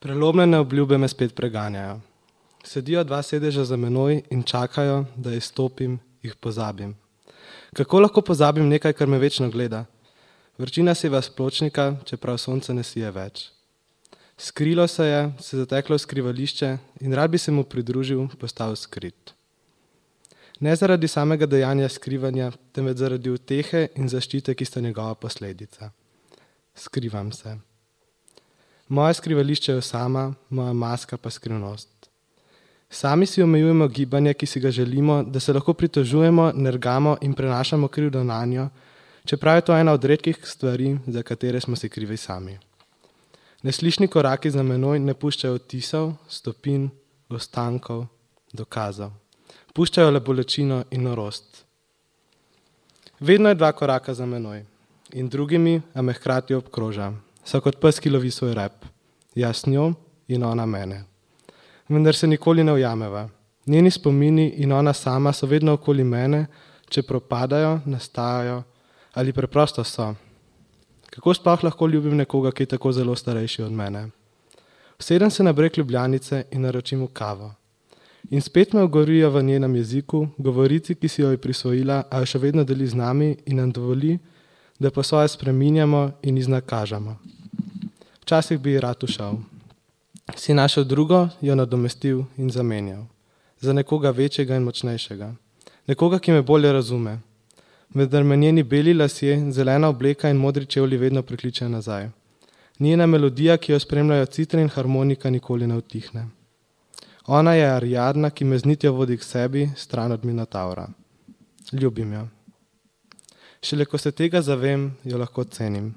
Prelomljene obljube me spet preganjajo. Sedijo dva sedeža za menoj in čakajo, da izstopim, jih pozabim. Kako lahko pozabim nekaj, kar me večno gleda? Vročina seva s pločnika, čeprav sonce ne sije več. Skrilo se je, se zateklo v skrivališče in rad bi se mu pridružil, postal skrit. Ne zaradi samega dejanja skrivanja, temveč zaradi utehe in zaščite, ki sta njegova posledica. Skrivam se. Moje skrivališče je osama, moja maska pa skrivnost. Sami si omejujemo gibanje, ki si ga želimo, da se lahko pritožujemo, nergamo in prenašamo krivdo nanjo, čeprav je to ena od redkih stvari, za katere smo si krivi sami. Neslišni koraki za menoj ne puščajo odtisov, stopinj, ostankov, dokazov. Puščajo le bolečino in norost. Vedno je dva koraka za menoj in drugimi, a me hkrati obkroža. So kot pes, ki lovi svoj rep. Jaz njo in ona mene. Vendar se nikoli ne ujameva. Njeni spomini in ona sama so vedno okoli mene, če propadajo, nastajajo ali preprosto so. Kako sploh lahko ljubim nekoga, ki je tako zelo starejši od mene? Usedem se na breg Ljubljanice in naročim mu kavo. In spet me ogorijo v njenem jeziku, govorici, ki si jo je prisvojila, a jo še vedno deli z nami in nam dovoli, da po svoje spreminjamo in iznakažemo. Včasih bi ji rad ušel. Si našel drugo, jo nadomestil in zamenjal. Za nekoga večjega in močnejšega. Nekoga, ki me bolje razume. Vendar me njeni beli lasje, zelena obleka in modri čevlji vedno prikličejo nazaj. Njena melodija, ki jo spremljajo citre in harmonika, nikoli ne utihne. Ona je Ariadna, ki me z nitjo vodi k sebi, stran od Minotavra. Ljubim jo. Šele ko se tega zavem, jo lahko cenim.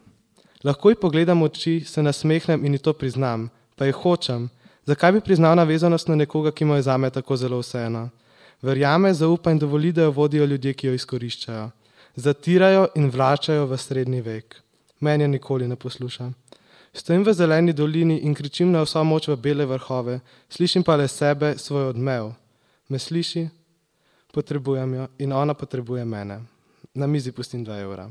Lahko ji pogledam v oči, se nasmehnem in ji to priznam, pa ji hočem. Zakaj bi priznal navezanost na nekoga, ki mu je zame tako zelo vseeno? Verjame, zaupa in dovoli, da jo vodijo ljudje, ki jo izkoriščajo. Zatirajo in vračajo v srednji vek. Meni nikoli ne posluša. Stojim v zeleni dolini in kričim na vso moč v bele vrhove, slišim pa le sebe, svoj odmev. Me sliši? Potrebujem jo in ona potrebuje mene. Na mizi pustim 2 evra.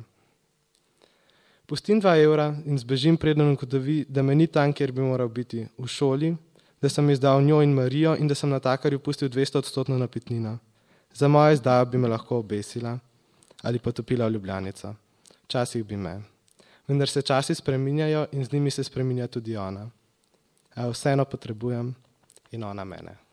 Pustim 2 evra in zbežim, preden ugotovi, da me ni tam, kjer bi moral biti, v šoli, da sem izdal njo in Marijo in da sem natakarju pustil 200% napitnino. Za mojo izdajo bi me lahko obesila ali potopila v Ljubljanico. Včasih bi me. Vendar se časi spreminjajo in z njimi se spreminja tudi ona. A vseeno potrebujem in ona mene.